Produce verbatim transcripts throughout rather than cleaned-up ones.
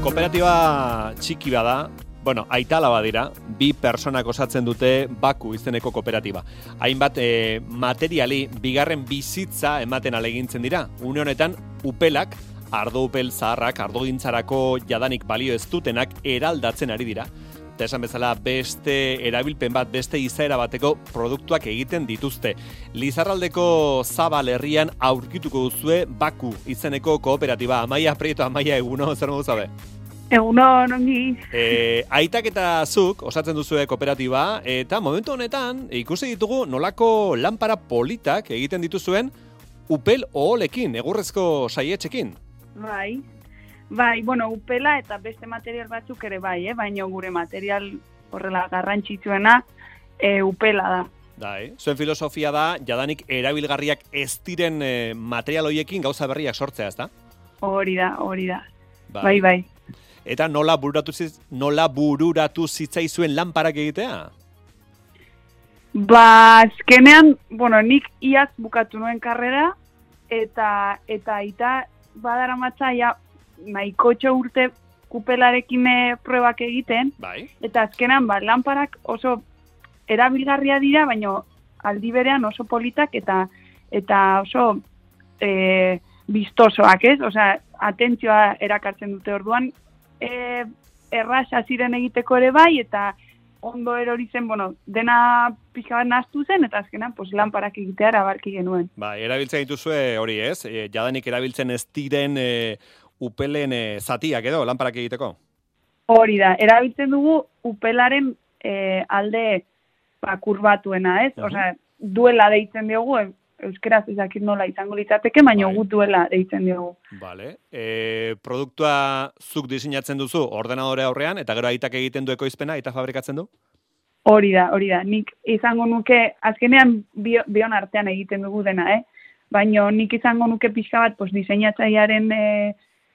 Kooperatiba txiki bada, bueno, aitala badira, bi personak osatzen dute Baku izeneko kooperatiba. Hainbat e, materiali bigarren bizitza ematen alegintzen dira. Une honetan, upelak, ardo upel zaharrak, ardogintzarako jadanik balio ez dutenak eraldatzen ari dira. Eta esan bezala beste erabilpen bat, beste izaera bateko produktuak egiten dituzte. Lizarraldeko Zabal herrian aurkituko duzue Baku izeneko kooperatiba. Amaia Prieto, Amaia, eguno, zer modu zabe? Eguno, nongi. E, aitak eta zuk osatzen duzue kooperatiba, eta momentu honetan ikusi ditugu nolako lanpara politak egiten dituzuen upel oholekin, egurrezko saietxekin. Bai, bai, bueno, upela eta beste material batzuk ere bai, eh? Baina gure material horrela garrantzitsuena e, upela da. Dai, zuen filosofia da, jadanik erabilgarriak ez diren e, material hoiekin gauza berriak sortzea, ezta? Hori da, hori da. Bai, bai. bai. Eta nola bururatu, ziz, nola bururatu zitzaizuen lanparak egitea? Ba, azkenean, bueno, nik iaz bukatu nuen karrera, eta eta aita badara matzaia nahikotxo urte kupelarekin probak egiten, bai. Eta azkenean, ba, lanparak oso erabilgarria dira, baina aldi berean oso politak eta eta oso e, bistosoak, ez? Osea, atentzioa erakartzen dute orduan, E, erraza ziren egiteko ere bai, eta ondo erori zen, bueno, dena pixka bat nahaztu zen, eta azkenan, pues, lanparak egitea erabarki genuen. Ba, erabiltzen dituzue hori ez, e, jadanik erabiltzen ez diren e, upelen e, zatiak edo, lanparak egiteko? Hori da, erabiltzen dugu upelaren e, alde ba, kurbatuena, ez? Uh-huh. Osea, duela deitzen diogu, euskeraz ezakit nola izango litzateke, baina bai. Gut duela deitzen diogu. Vale. E, produktua zuk diseinatzen duzu ordenadore aurrean, eta gero aitak egiten du ekoizpena, aita fabrikatzen du? Hori da, hori da. Nik izango nuke, azkenean bio, bion artean egiten dugu dena, eh? Baina nik izango nuke pixka bat, pues, diseinatzailearen e,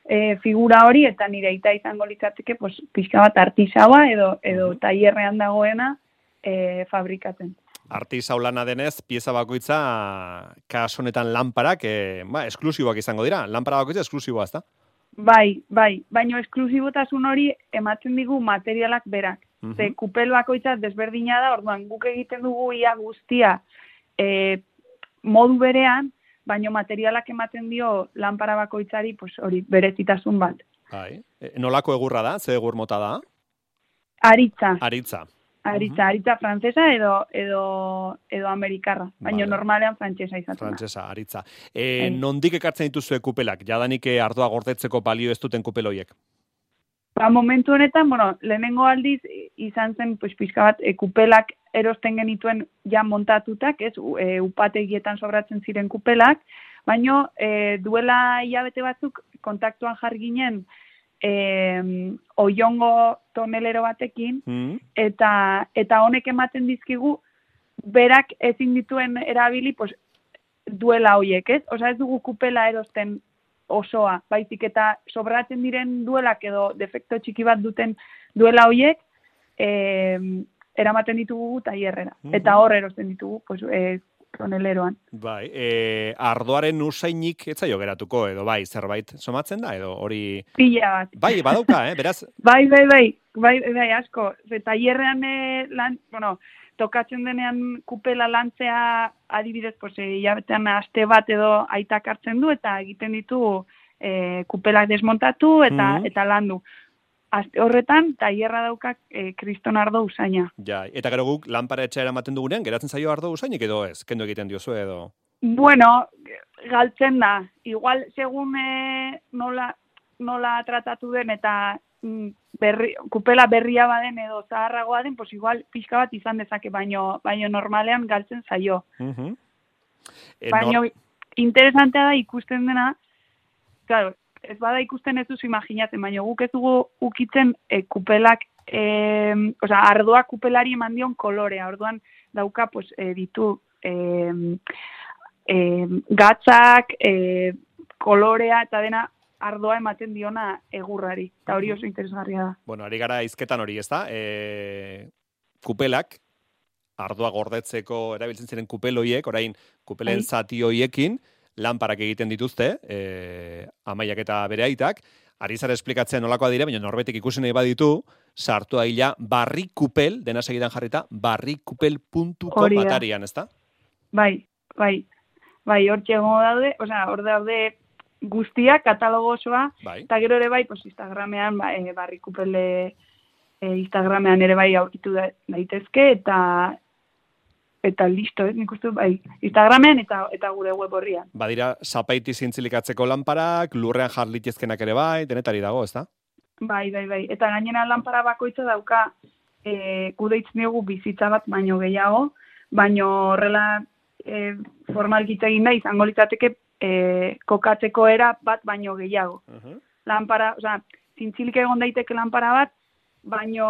e, figura hori, eta nire aita izango litzateke, pues, pixka bat artisaua edo, edo tailerrean dagoena e, fabrikatzen. Artisau lana denez, pieza bakoitza, kasu honetan lanparak, e, ba, esklusiboak izango dira. Lanpara bakoitza esklusiboa, ezta? Bai, bai, baina esklusibotasun hori ematen digu materialak berak. Uh-huh. Ze kupel bakoitza desberdina da, orduan guk egiten dugu ia guztia e, modu berean, baina materialak ematen dio lanpara bakoitzari, pues, hori berezitasun bat. Bai, e, nolako egurra da? Ze egur mota da? Aritza. Aritza. Aritza, uh-huh. aritza frantzesa edo edo edo amerikarra, baina vale. Normalean frantsesa izaten da. Frantsesa, aritza. E, nondik ekartzen dituzue kupelak? Jadanik ardoa gordetzeko balio ez duten kupel horiek? Ba, momentu honetan, bueno, lehenengo aldiz izan zen pues, pixka bat e, kupelak erosten genituen ja montatutak, ez, e, upategietan sobratzen ziren kupelak, baina e, duela hilabete batzuk kontaktuan jarri ginen Eh, oiongo tonelero batekin, mm. eta eta honek ematen dizkigu berak ezin dituen erabili pues, duela hoiek, ez? Osea, ez dugu kupela erosten osoa, baizik eta sobratzen diren duelak edo defekto txiki bat duten duela hoiek eh, eramaten ditugu tailerrera. Mm-hmm. Eta hor erosten ditugu pues, eh, toneleroan. Bai, e, ardoaren usainik ez zaio geratuko, edo bai, zerbait somatzen da, edo hori... Pila bat. Bai, badauka, eh, beraz... bai, bai, bai, bai, bai, asko. Tailerrean, eh, lan, bueno, tokatzen denean kupela lantzea adibidez, pues, hilabetean aste bat edo aitak hartzen du, eta egiten ditu eh, kupelak desmontatu eta, mm-hmm. eta landu. Aste horretan, tailerra daukak e, kriston ardo usaina. Ja, eta gero guk lanpara etxera ematen dugunean, geratzen zaio ardo usainik edo ez? Kendu egiten diozu edo? Bueno, galtzen da. Igual, segun e, nola, nola tratatu den eta berri, kupela berria baden edo zaharragoa den, pues igual pixka bat izan dezake, baino, baino normalean galtzen zaio. Uh-huh. E, baino, nor... interesantea da ikusten dena, claro, ez bada ikusten ez duzu imaginatzen, baina guk ez dugu ukitzen e, kupelak, e, osea, ardoa kupelari eman dion kolorea, orduan dauka, pues, e, ditu e, e, gatzak, e, kolorea, eta dena ardoa ematen diona egurrari, eta hori oso interesgarria da. Bueno, ari gara izketan hori, ez da? E, kupelak, ardoa gordetzeko erabiltzen ziren kupel hoiek, orain kupelen zati hoiekin, lanparak egiten dituzte, e, Amaiak eta bere aitak, ari zara esplikatzen nolakoa dire, baina norbetik ikusi nahi baditu, sartu aila barrikupel, dena segidan jarrita, barrikupel puntu com atarian, ezta? Bai, bai, bai, hor txegongo daude, osea, hor daude guztiak, katalogo osoa, bai. Eta gero ere bai, pues, Instagramean, ba, e, barrikupele e, Instagramean ere bai aurkitu da, daitezke, eta eta listo, ez, nik uste, bai, Instagramean eta eta gure web horrian. Badira, zapaiti zintzilikatzeko lanparak, lurrean jarlitezkenak ere bai, denetari dago, ezta? Bai, bai, bai, eta gainera lanpara bakoitza dauka, e, kudeitz diogu bizitza bat baino gehiago, baino horrela e, formalkitza egin da, izango litzateke e, kokatzeko era bat baino gehiago. Uh-huh. Lanpara, osea, zintzilik egon daiteke lanpara bat, baino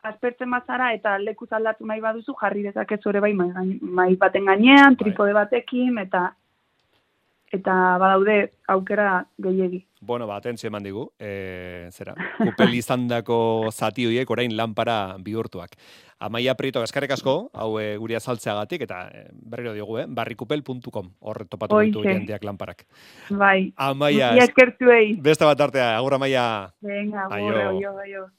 aspertzen bazara eta lekuz aldatu nahi baduzu jarri dezakezu ere bai mai baten gainean, tripode batekin eta eta badaude aukera gehiegi. Bueno, ba, atentzio eman digu, e, zera, kupel izandako zati horiek orain lanpara bihurtuak. Amaia Prieto, eskerrik asko, hau e, guri azaltzeagatik, eta e, berriro diogu, eh? barrikupel puntu com, hor topatu ditu jendeak lanparak. Bai, Amaia, eskertzuei. Beste bat artea, agur Amaia. Venga, agur, aio, aio.